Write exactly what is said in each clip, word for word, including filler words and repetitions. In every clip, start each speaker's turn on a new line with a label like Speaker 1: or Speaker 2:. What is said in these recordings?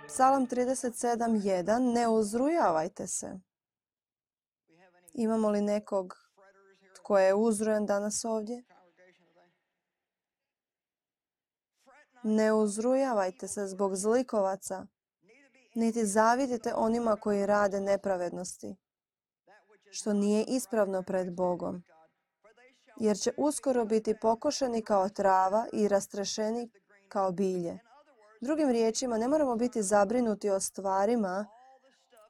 Speaker 1: Psalam trideset sedam jedan. Ne uzrujavajte se. Imamo li nekog tko je uzrujan danas ovdje? Ne uzrujavajte se zbog zlikovaca, niti zavidite onima koji rade nepravednosti, što nije ispravno pred Bogom, jer će uskoro biti pokošeni kao trava i rastrešeni kao bilje. Drugim riječima, ne moramo biti zabrinuti o stvarima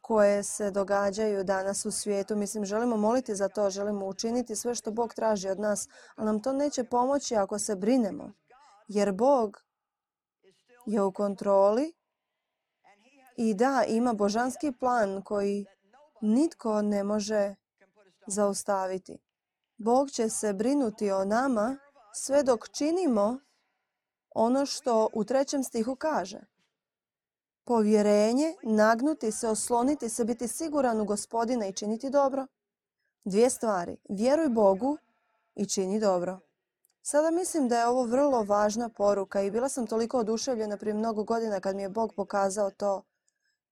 Speaker 1: koje se događaju danas u svijetu. Mislim, želimo moliti za to, želimo učiniti sve što Bog traži od nas, ali nam to neće pomoći ako se brinemo, jer Bog je u kontroli i da, ima božanski plan koji nitko ne može zaustaviti. Bog će se brinuti o nama sve dok činimo ono što u trećem stihu kaže. Povjerenje, nagnuti se, osloniti se, biti siguran u Gospodina i činiti dobro. Dvije stvari. Vjeruj Bogu i čini dobro. Sada mislim da je ovo vrlo važna poruka i bila sam toliko oduševljena prije mnogo godina kad mi je Bog pokazao to.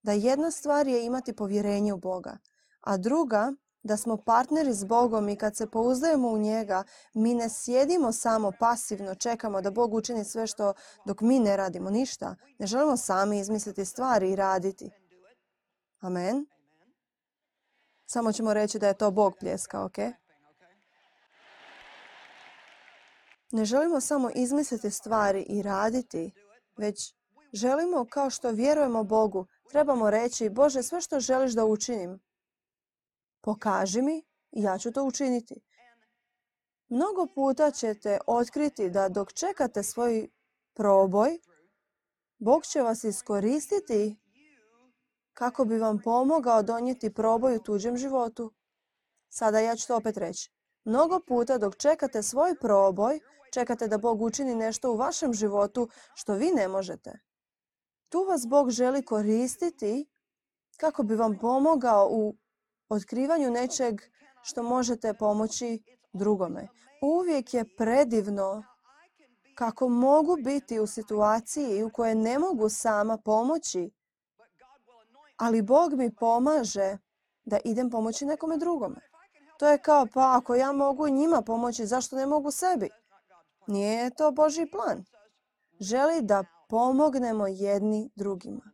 Speaker 1: Da jedna stvar je imati povjerenje u Boga, a druga da smo partneri s Bogom i kad se pouzdajemo u njega, mi ne sjedimo samo pasivno, čekamo da Bog učini sve što dok mi ne radimo ništa. Ne želimo sami izmisliti stvari i raditi. Amen. Samo ćemo reći da je to Bog pljeska, ok? Ne želimo samo izmisliti stvari i raditi, već želimo, kao što vjerujemo Bogu, trebamo reći, Bože, sve što želiš da učinim, pokaži mi i ja ću to učiniti. Mnogo puta ćete otkriti da dok čekate svoj proboj, Bog će vas iskoristiti kako bi vam pomogao donijeti proboj u tuđem životu. Sada ja ću to opet reći. Mnogo puta dok čekate svoj proboj, čekate da Bog učini nešto u vašem životu što vi ne možete. Tu vas Bog želi koristiti kako bi vam pomogao u otkrivanju nečeg što možete pomoći drugome. Uvijek je predivno kako mogu biti u situaciji u kojoj ne mogu sama pomoći, ali Bog mi pomaže da idem pomoći nekome drugome. To je kao, pa ako ja mogu njima pomoći, zašto ne mogu sebi? Nije to Božji plan. Želi da pomognemo jedni drugima.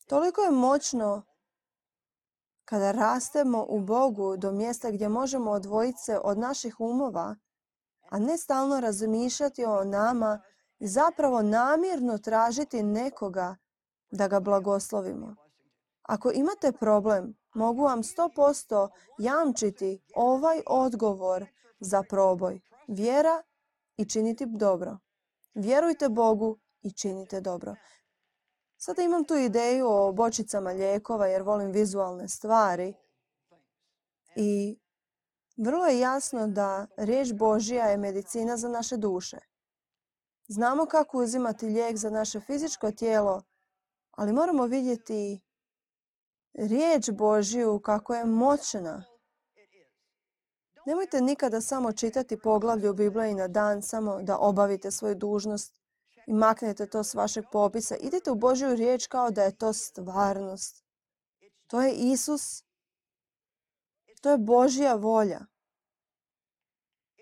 Speaker 1: Toliko je moćno kada rastemo u Bogu do mjesta gdje možemo odvojiti se od naših umova, a ne stalno razmišljati o nama i zapravo namjerno tražiti nekoga da ga blagoslovimo. Ako imate problem, mogu vam sto posto jamčiti ovaj odgovor za proboj. Vjera i činiti dobro. Vjerujte Bogu i činite dobro. Sada imam tu ideju o bočicama lijekova jer volim vizualne stvari. I vrlo je jasno da riječ Božja je medicina za naše duše. Znamo kako uzimati lijek za naše fizičko tijelo, ali moramo vidjeti riječ Božju kako je moćna. Nemojte nikada samo čitati poglavlje u Bibliji na dan, samo da obavite svoju dužnost i maknete to s vašeg popisa. Idite u Božju riječ kao da je to stvarnost. To je Isus. To je Božja volja.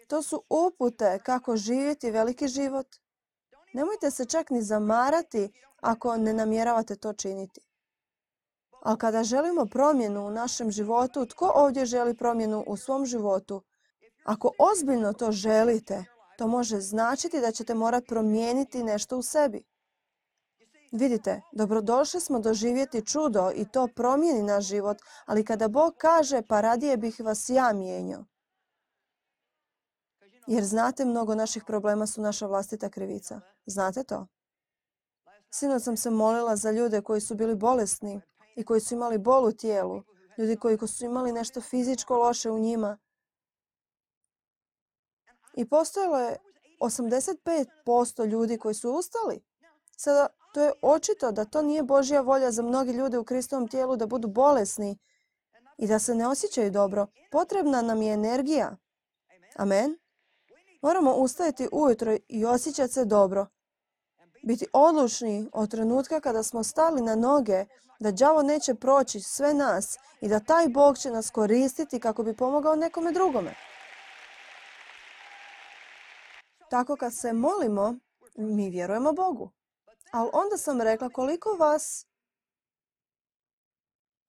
Speaker 1: To su upute kako živjeti veliki život. Nemojte se čak ni zamarati ako ne namjeravate to činiti. Ali kada želimo promjenu u našem životu, tko ovdje želi promjenu u svom životu? Ako ozbiljno to želite, to može značiti da ćete morati promijeniti nešto u sebi. Vidite, dobrodošli smo doživjeti čudo i to promijeni naš život, ali kada Bog kaže, pa radije bih vas ja mijenjao. Jer znate, mnogo naših problema su naša vlastita krivica. Znate to? Sinoć sam se molila za ljude koji su bili bolesni i koji su imali bol u tijelu. Ljudi koji su imali nešto fizičko loše u njima. I postojalo je osamdeset pet posto ljudi koji su ustali. Sada, to je očito da to nije Božja volja za mnogi ljude u Kristovom tijelu da budu bolesni i da se ne osjećaju dobro. Potrebna nam je energija. Amen. Moramo ustajati ujutro i osjećati se dobro. biti odlučni od trenutka kada smo stali na noge, da đavo neće proći sve nas i da taj Bog će nas koristiti kako bi pomogao nekome drugome. Tako kad se molimo, mi vjerujemo Bogu. Ali onda sam rekla koliko vas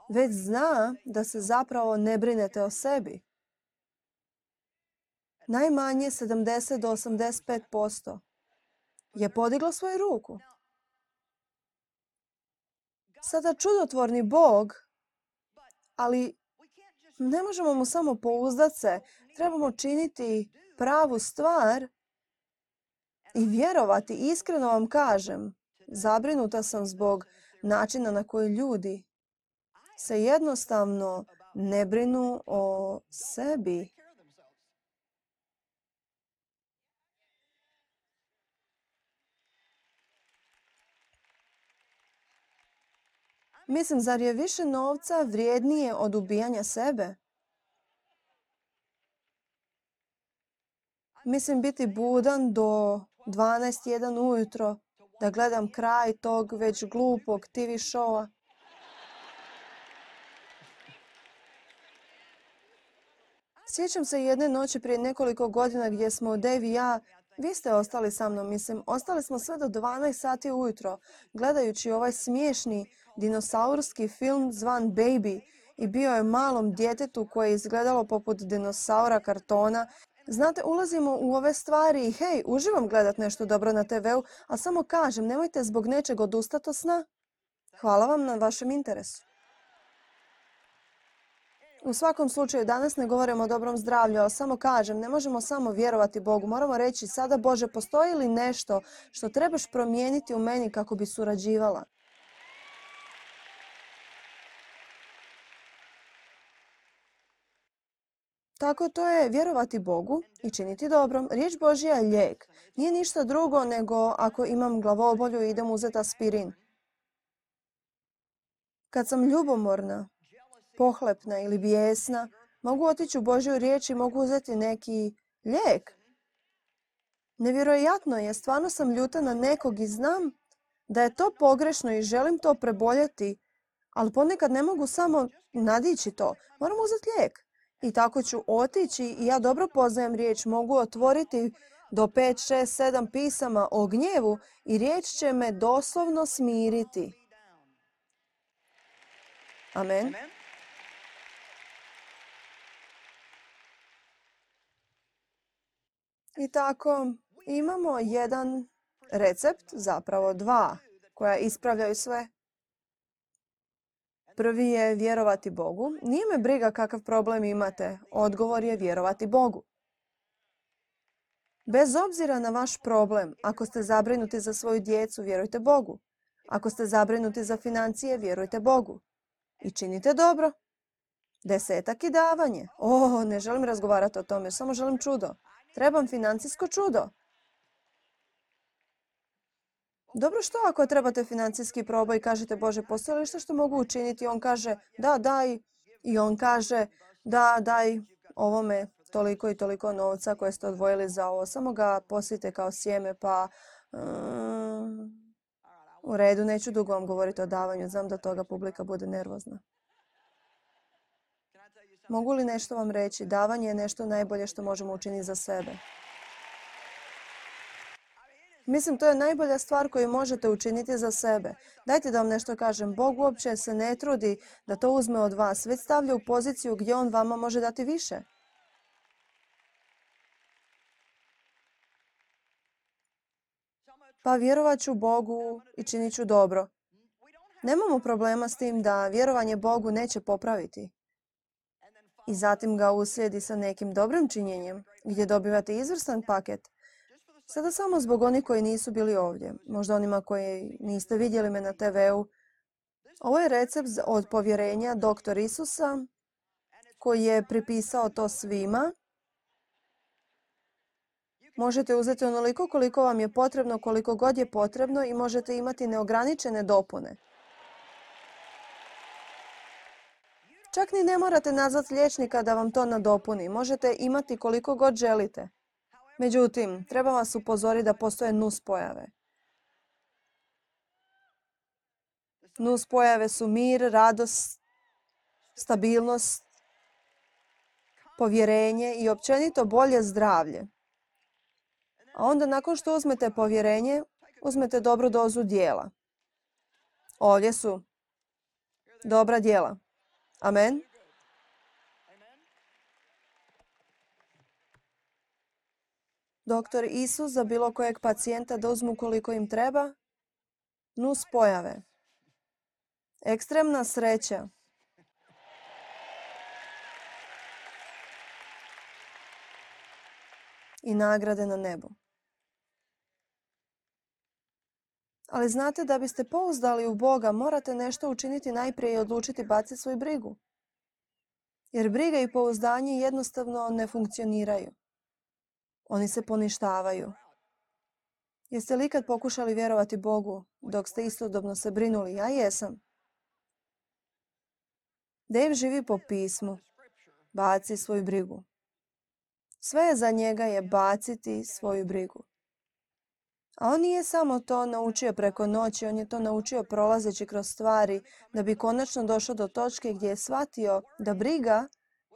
Speaker 1: već zna da se zapravo ne brinete o sebi. Najmanje sedamdeset do osamdeset pet posto je podiglo svoju ruku. Sada čudotvorni Bog, ali ne možemo mu samo pouzdati se, trebamo činiti pravu stvar i vjerovati. Iskreno vam kažem, zabrinuta sam zbog načina na koji ljudi se jednostavno ne brinu o sebi. Mislim, zar je više novca vrijednije od ubijanja sebe? Mislim, biti budan do dvanaest jedan ujutro, da gledam kraj tog već glupog T V showa. Sjećam se jedne noći prije nekoliko godina gdje smo Dave i ja, vi ste ostali sa mnom, mislim, ostali smo sve do dvanaest sati ujutro, gledajući ovaj smiješni dinosaurski film zvan Baby i bio je malom djetetu koje je izgledalo poput dinosaura kartona. Znate, ulazimo u ove stvari i hej, uživam gledat nešto dobro na te veu, a samo kažem, nemojte zbog nečeg odustati od sna. Hvala vam na vašem interesu. U svakom slučaju, danas ne govorimo o dobrom zdravlju, a samo kažem, ne možemo samo vjerovati Bogu. Moramo reći, sada Bože, postoji li nešto što trebaš promijeniti u meni kako bi surađivala? Tako to je vjerovati Bogu i činiti dobro. Riječ Božja je lijek. Nije ništa drugo nego ako imam glavobolju i idem uzeti aspirin. Kad sam ljubomorna, pohlepna ili bijesna, mogu otići u Božju riječ i mogu uzeti neki lijek. Nevjerojatno je, stvarno sam ljuta na nekog i znam da je to pogrešno i želim to preboljeti, ali ponekad ne mogu samo nadići to. Moram uzeti lijek. I tako ću otići i ja dobro poznajem riječ, mogu otvoriti do pet, šest, sedam pisama o gnjevu i riječ će me doslovno smiriti. Amen. I tako imamo jedan recept, zapravo dva, koja ispravljaju sve. Prvi je vjerovati Bogu. Nije me briga kakav problem imate. Odgovor je vjerovati Bogu. Bez obzira na vaš problem, ako ste zabrinuti za svoju djecu, vjerujte Bogu. Ako ste zabrinuti za financije, vjerujte Bogu. I činite dobro. Desetak i davanje. O, ne želim razgovarati o tome, samo želim čudo. Trebam financijsko čudo. Dobro, što ako trebate financijski proboj i kažete, Bože, postoji li što što mogu učiniti? On kaže, da, daj. I on kaže, da, daj ovome toliko i toliko novca koje ste odvojili za ovo. Samo ga posijte kao sjeme, pa um, u redu, neću dugo vam govoriti o davanju. Znam da toga publika bude nervozna. Mogu li nešto vam reći? Davanje je nešto najbolje što možemo učiniti za sebe. Mislim, to je najbolja stvar koju možete učiniti za sebe. Dajte da vam nešto kažem. Bog uopće se ne trudi da to uzme od vas, već stavlja u poziciju gdje on vama može dati više. Pa vjerovat ću Bogu i činit ću dobro. Nemamo problema s tim da vjerovanje Bogu neće popraviti. I zatim ga uslijedi sa nekim dobrim činjenjem, gdje dobivate izvrstan paket. Sada samo zbog onih koji nisu bili ovdje, možda onima koji niste vidjeli me na te veu. Ovo je recept od povjerenja doktor Isusa koji je pripisao to svima. Možete uzeti onoliko koliko vam je potrebno, koliko god je potrebno i možete imati neograničene dopune. Čak ni ne morate nazvati liječnika da vam to nadopuni. Možete imati koliko god želite. Međutim, treba vas upozoriti da postoje nuspojave. Nus pojave su mir, radost, stabilnost, povjerenje i općenito bolje zdravlje. A onda nakon što uzmete povjerenje, uzmete dobru dozu dijela. Ovdje su dobra djela. Amen. Doktor Isus za bilo kojeg pacijenta da uzmu koliko im treba. Nus pojave. Ekstremna sreća. I nagrade na nebu. Ali znate, da biste pouzdali u Boga, morate nešto učiniti najprije i odlučiti baciti svoju brigu. Jer briga i pouzdanje jednostavno ne funkcioniraju. Oni se poništavaju. Jeste li ikad pokušali vjerovati Bogu dok ste istodobno se brinuli? Ja jesam. Dave živi po pismu. Baci svoju brigu. Sve je za njega je baciti svoju brigu. A on nije samo to naučio preko noći, on je to naučio prolazeći kroz stvari da bi konačno došao do točke gdje je shvatio da briga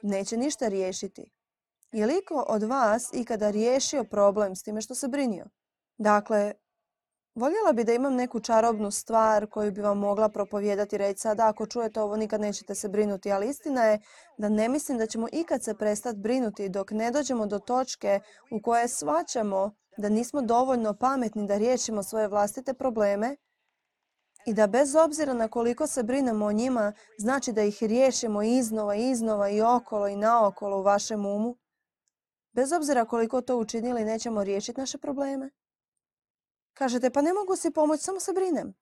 Speaker 1: neće ništa riješiti. Je li iko od vas ikada riješio problem s time što se brinio? Dakle, voljela bi da imam neku čarobnu stvar koju bi vam mogla propovijedati i reći sada ako čujete ovo nikad nećete se brinuti, ali istina je da ne mislim da ćemo ikad se prestati brinuti dok ne dođemo do točke u kojoj shvaćamo da nismo dovoljno pametni da riješimo svoje vlastite probleme i da bez obzira na koliko se brinemo o njima, znači da ih riješimo iznova, iznova i okolo i naokolo u vašem umu. Bez obzira koliko to učinili, nećemo riješiti naše probleme. Kažete, pa ne mogu si pomoći, samo se brinem.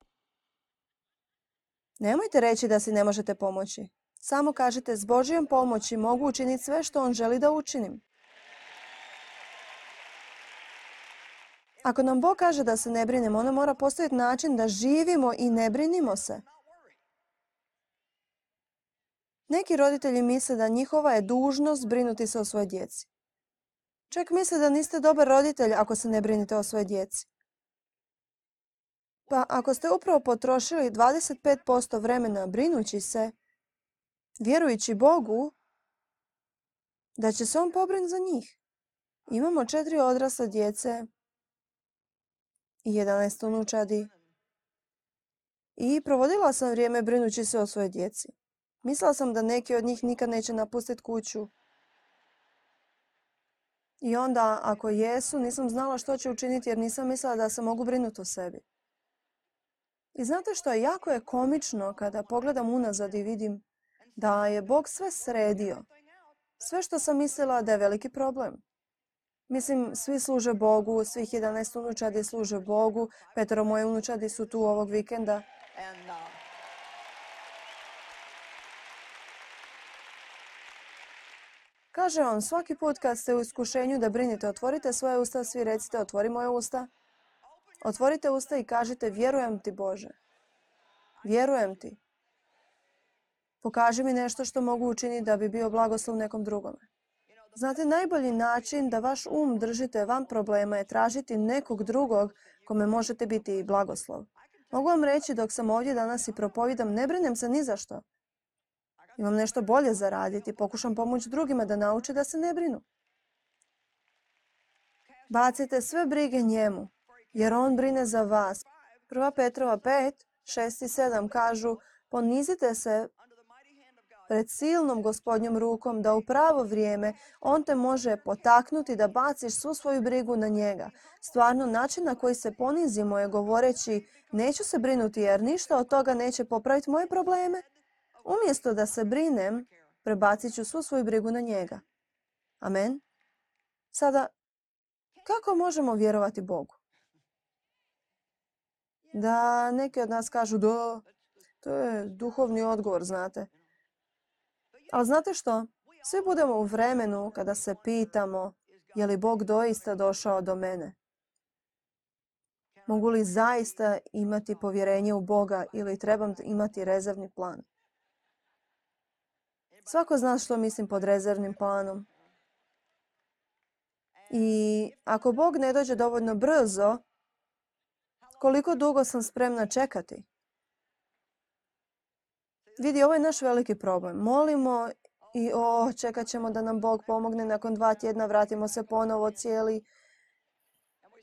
Speaker 1: Nemojte reći da si ne možete pomoći. Samo kažete, s Božjom pomoći mogu učiniti sve što On želi da učinim. Ako nam Bog kaže da se ne brinemo, onda mora postojati način da živimo i ne brinimo se. Neki roditelji misle da njihova je dužnost brinuti se o svojoj djeci. Čak misle da niste dobar roditelj ako se ne brinite o svojoj djeci. Pa ako ste upravo potrošili dvadeset pet posto vremena brinući se, vjerujući Bogu da će se On pobrinuti za njih. Imamo četiri odrasle djece i jedanaest unučadi. I provodila sam vrijeme brinući se o svojoj djeci. Mislila sam da neki od njih nikad neće napustiti kuću. I onda, ako jesu, nisam znala što će učiniti jer nisam mislila da se mogu brinuti o sebi. I znate što je? Jako je komično kada pogledam unazad i vidim da je Bog sve sredio. Sve što sam mislila da je veliki problem. Mislim, svi služe Bogu, svih jedanaest unučadi služe Bogu, petero moje unučadi su tu ovog vikenda. Kaže on, svaki put kad ste u iskušenju da brinite, otvorite svoje usta, svi recite, otvori moje usta. Otvorite usta i kažite, vjerujem ti Bože. Vjerujem ti. Pokaži mi nešto što mogu učiniti da bi bio blagoslov nekom drugome. Znate, najbolji način da vaš um držite van problema je tražiti nekog drugog kome možete biti blagoslov. Mogu vam reći dok sam ovdje danas i propovidam, ne brinem se ni za što. Imam nešto bolje za raditi, pokušam pomoći drugima da nauče da se ne brinu. Bacite sve brige njemu, jer on brine za vas. Prva Petrova pet, šest i sedam kažu, ponizite se pred silnom Gospodnjom rukom da u pravo vrijeme on te može potaknuti da baciš svu svoju brigu na njega. Stvarno, način na koji se ponizimo je govoreći, neću se brinuti jer ništa od toga neće popraviti moje probleme. Umjesto da se brinem, prebacit ću svu svoju brigu na njega. Amen. Sada, kako možemo vjerovati Bogu? Da neki od nas kažu, da, to je duhovni odgovor, znate. Ali znate što? Svi budemo u vremenu kada se pitamo, je li Bog doista došao do mene? Mogu li zaista imati povjerenje u Boga ili trebam imati rezervni plan? Svako zna što mislim pod rezervnim planom. I ako Bog ne dođe dovoljno brzo, koliko dugo sam spremna čekati? Vidi, ovo je naš veliki problem. Molimo i o, čekat ćemo da nam Bog pomogne. Nakon dva tjedna vratimo se ponovo cijeli.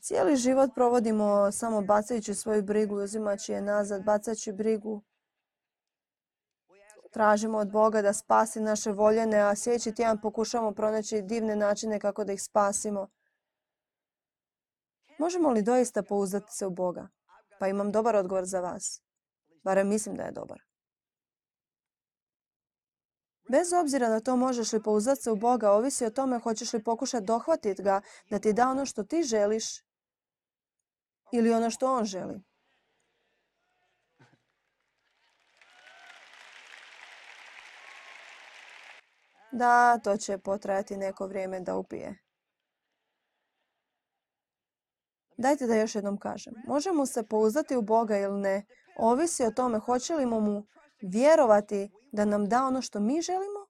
Speaker 1: Cijeli život provodimo samo bacajući svoju brigu i uzimajući je nazad, bacajući brigu. Tražimo od Boga da spasi naše voljene, a sljedeći tjedan pokušamo pronaći divne načine kako da ih spasimo. Možemo li doista pouzdati se u Boga? Pa imam dobar odgovor za vas. Barem mislim da je dobar. Bez obzira na to možeš li pouzdati se u Boga, ovisi o tome hoćeš li pokušati dohvatiti ga da ti da ono što ti želiš ili ono što on želi. Da, to će potrajati neko vrijeme da upije. Dajte da još jednom kažem. Možemo se pouzdati u Boga ili ne, ovisi o tome hoće li mu vjerovati da nam da ono što mi želimo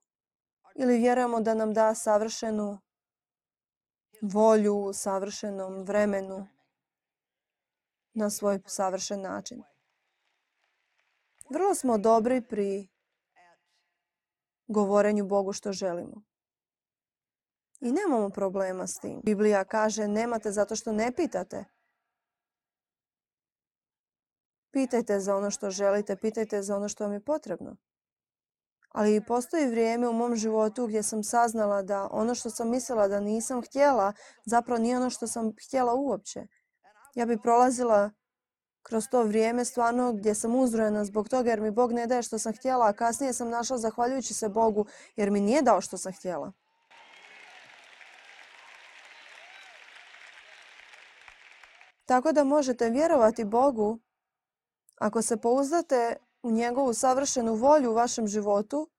Speaker 1: ili vjerujemo da nam da savršenu volju u savršenom vremenu na svoj savršen način. Vrlo smo dobri pri govorenju Bogu što želimo. I nemamo problema s tim. Biblija kaže nemate zato što ne pitate. Pitajte za ono što želite, pitajte za ono što vam je potrebno. Ali postoji vrijeme u mom životu gdje sam saznala da ono što sam mislila da nisam htjela, zapravo nije ono što sam htjela uopće. Ja bi prolazila kroz to vrijeme stvarno gdje sam uzrojena zbog toga jer mi Bog ne daje što sam htjela, a kasnije sam našla zahvaljujući se Bogu jer mi nije dao što sam htjela. Tako da možete vjerovati Bogu ako se pouzdate u njegovu savršenu volju u vašem životu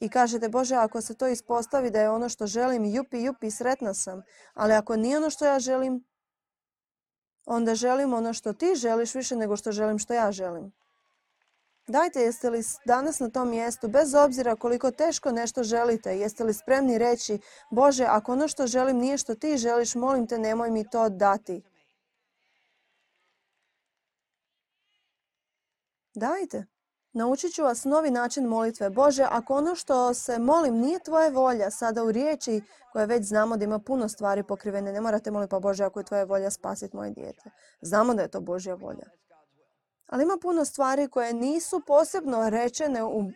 Speaker 1: i kažete Bože, ako se to ispostavi da je ono što želim, jupi, jupi, sretna sam. Ali ako nije ono što ja želim, onda želim ono što ti želiš više nego što želim što ja želim. Dajte, jeste li danas na tom mjestu, bez obzira koliko teško nešto želite, jeste li spremni reći Bože, ako ono što želim nije što ti želiš, molim te nemoj mi to dati. Dajte. Naučit ću vas novi način molitve. Bože, ako ono što se molim nije tvoja volja, sada u riječi koje već znamo da ima puno stvari pokrivene, ne morate moliti pa Bože, ako je tvoja volja spasiti moje dijete. Znamo da je to Božja volja. Ali ima puno stvari koje nisu posebno rečene u,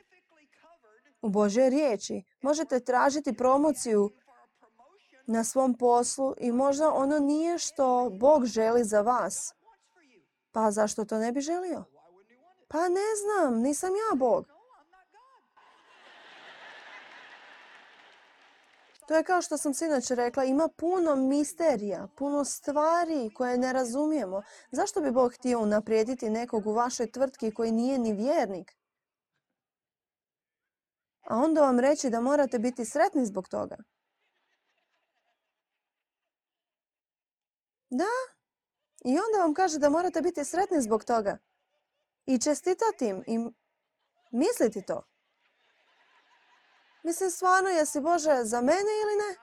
Speaker 1: u Božjoj riječi. Možete tražiti promociju na svom poslu i možda ono nije što Bog želi za vas. Pa zašto to ne bi želio? Pa ne znam, nisam ja Bog. To je kao što sam sinoć rekla, ima puno misterija, puno stvari koje ne razumijemo. Zašto bi Bog htio unaprijediti nekog u vašoj tvrtki koji nije ni vjernik? A onda vam reći da morate biti sretni zbog toga. Da, i onda vam kaže da morate biti sretni zbog toga. I čestitati im i misliti to. Mislim, stvarno, jesi Bože za mene ili ne?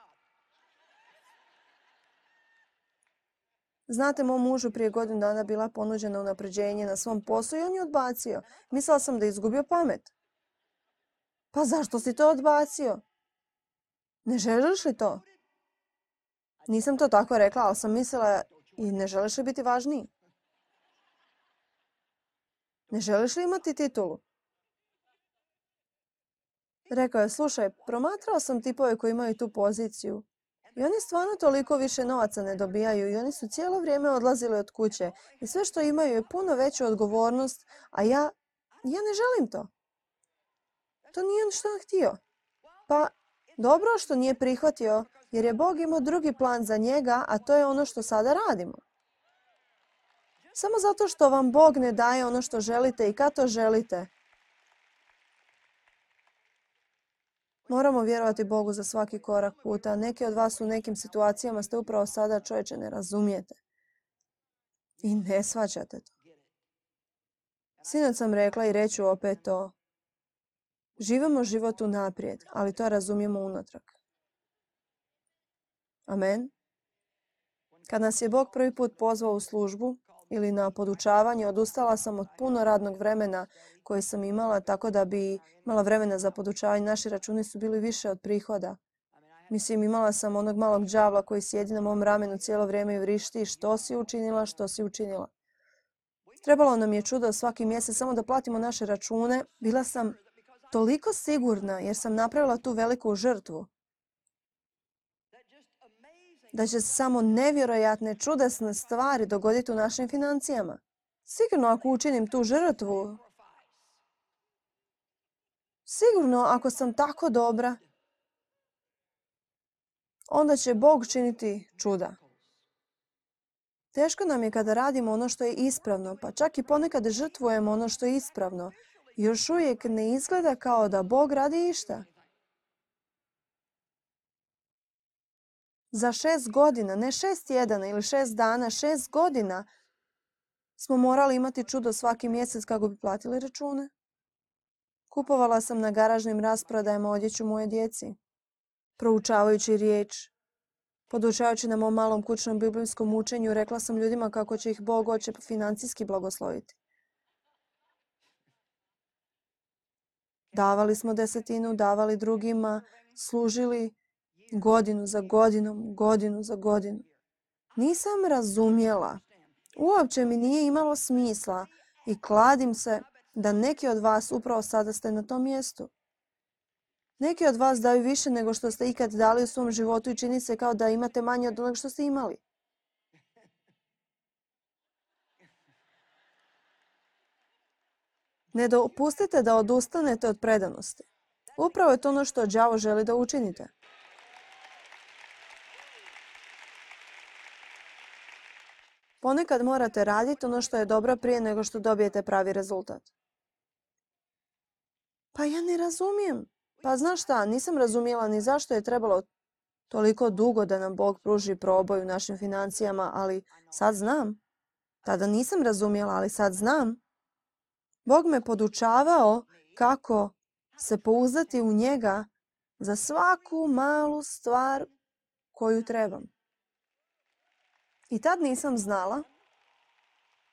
Speaker 1: Znate, mom mužu prije godinu dana bila ponuđena unapređenje na svom poslu i on je odbacio. Mislila sam da je izgubio pamet. Pa zašto si to odbacio? Ne želiš li to? Nisam to tako rekla, ali sam mislila i ne želiš li biti važniji? Ne želiš li imati titulu? Rekao je, slušaj, promatrao sam tipove koji imaju tu poziciju i oni stvarno toliko više novaca ne dobijaju i oni su cijelo vrijeme odlazili od kuće i sve što imaju je puno veću odgovornost, a ja, ja ne želim to. To nije što on htio. Pa dobro što nije prihvatio jer je Bog imao drugi plan za njega, a to je ono što sada radimo. Samo zato što vam Bog ne daje ono što želite i kad to želite. Moramo vjerovati Bogu za svaki korak puta. Neki od vas u nekim situacijama ste upravo sada, čovječe, ne razumijete. I ne shvaćate to. Sinoć sam rekla i reću opet to. Živimo život unaprijed, ali to razumijemo unatrag. Amen. Kad nas je Bog prvi put pozvao u službu ili na podučavanje. Odustala sam od puno radnog vremena koje sam imala, tako da bi imala vremena za podučavanje. Naši računi su bili više od prihoda. Mislim, imala sam onog malog đavla koji sjedi na mom ramenu cijelo vrijeme i vrišti. Što si učinila, što si učinila. Trebalo nam je čudo svaki mjesec samo da platimo naše račune. Bila sam toliko sigurna jer sam napravila tu veliku žrtvu da će se samo nevjerojatne, čudesne stvari dogoditi u našim financijama. Sigurno ako učinim tu žrtvu, sigurno ako sam tako dobra, onda će Bog činiti čuda. Teško nam je kada radimo ono što je ispravno, pa čak i ponekad žrtvujemo ono što je ispravno. Još uvijek ne izgleda kao da Bog radi išta. Za šest godina, ne šest tjedana ili šest dana, šest godina smo morali imati čudo svaki mjesec kako bi platili račune. Kupovala sam na garažnim rasprodajama odjeću moje djeci, proučavajući riječ. Podučavajući na mom malom kućnom biblijskom učenju, rekla sam ljudima kako će ih Bog oče financijski blagosloviti. Davali smo desetinu, davali drugima, služili godinu za godinom, godinu za godinu. Nisam razumjela. Uopće mi nije imalo smisla i kladim se da neki od vas upravo sada ste na tom mjestu. Neki od vas daju više nego što ste ikad dali u svom životu i čini se kao da imate manje od onog što ste imali. Ne dopustite da odustanete od predanosti. Upravo je to ono što đavo želi da učinite. Ponekad morate raditi ono što je dobro prije nego što dobijete pravi rezultat. Pa ja ne razumijem. Pa znaš šta, nisam razumjela ni zašto je trebalo toliko dugo da nam Bog pruži proboj u našim financijama, ali sad znam. Tada nisam razumjela, ali sad znam. Bog me podučavao kako se pouzdati u njega za svaku malu stvar koju trebam. I tad nisam znala.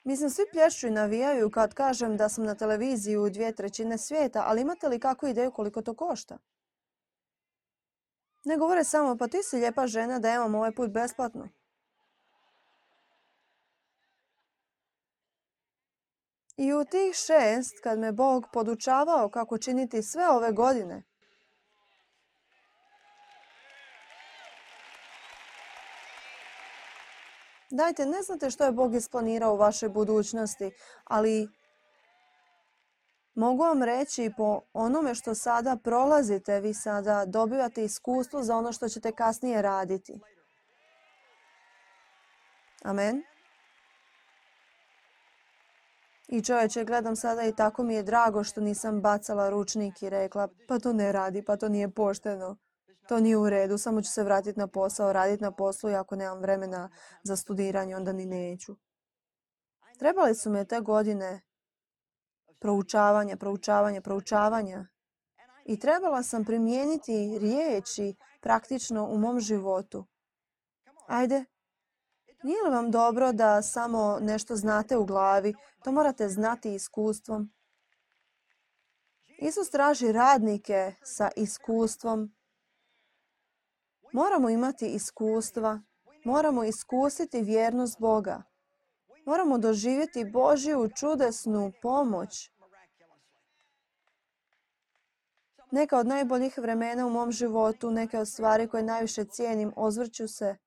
Speaker 1: Mislim, svi plješću i navijaju kad kažem da sam na televiziji u dvije trećine svijeta, ali imate li kakvu ideju koliko to košta? Ne govore samo, pa ti si lijepa žena da imam ovaj put besplatno. I u tih šest, kad me Bog podučavao kako činiti sve ove godine, dajte, ne znate što je Bog isplanirao u vašoj budućnosti, ali mogu vam reći po onome što sada prolazite, vi sada dobivate iskustvo za ono što ćete kasnije raditi. Amen. I čovječe, gledam sada i tako mi je drago što nisam bacala ručnik i rekla pa to ne radi, pa to nije pošteno. To nije u redu, samo ću se vratiti na posao, raditi na poslu i ako nemam vremena za studiranje, onda ni neću. Trebali su me te godine proučavanja, proučavanja, proučavanja. I trebala sam primijeniti riječi praktično u mom životu. Ajde, nije li vam dobro da samo nešto znate u glavi? To morate znati iskustvom. Isus traži radnike sa iskustvom. Moramo imati iskustva. Moramo iskusiti vjernost Boga. Moramo doživjeti Božju čudesnu pomoć. Neka od najboljih vremena u mom životu, neke od stvari koje najviše cijenim, ozvrću se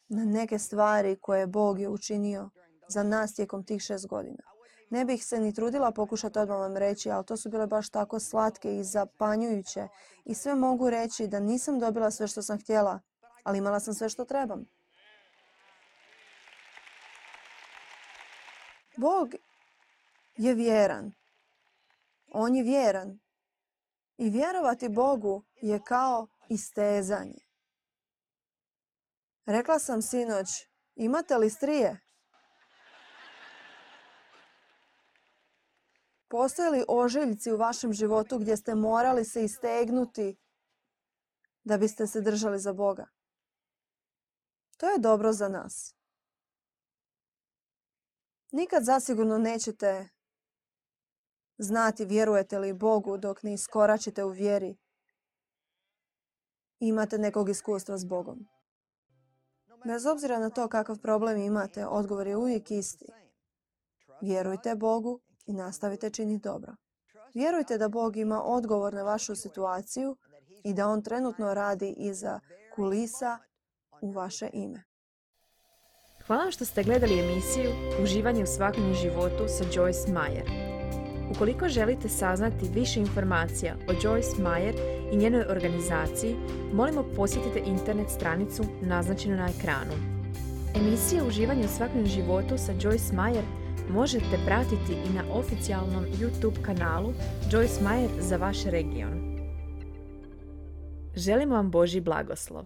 Speaker 1: na neke stvari koje Bog je učinio za nas tijekom tih šest godina. Ne bih se ni trudila pokušati odmah vam reći, ali to su bile baš tako slatke i zapanjujuće. I sve mogu reći da nisam dobila sve što sam htjela, ali imala sam sve što trebam. Bog je vjeran. On je vjeran. I vjerovati Bogu je kao istezanje. Rekla sam sinoć, imate li strije? Postoje li ožiljci u vašem životu gdje ste morali se istegnuti da biste se držali za Boga? To je dobro za nas. Nikad zasigurno nećete znati vjerujete li Bogu dok ne iskoračite u vjeri i imate nekog iskustva s Bogom. Bez obzira na to kakav problem imate, odgovor je uvijek isti. Vjerujte Bogu i nastavite činiti dobro. Vjerujte da Bog ima odgovor na vašu situaciju i da On trenutno radi iza kulisa u vaše ime.
Speaker 2: Hvala vam što ste gledali emisiju Uživanje u svakodnevnom životu sa Joyce Meyer. Ukoliko želite saznati više informacija o Joyce Meyer i njenoj organizaciji, molimo posjetite internet stranicu naznačenu na ekranu. Emisije Uživanje u svakodnevnom životu sa Joyce Meyer možete pratiti i na oficijalnom YouTube kanalu Joyce Meyer za vaš region. Želimo vam Božji blagoslov.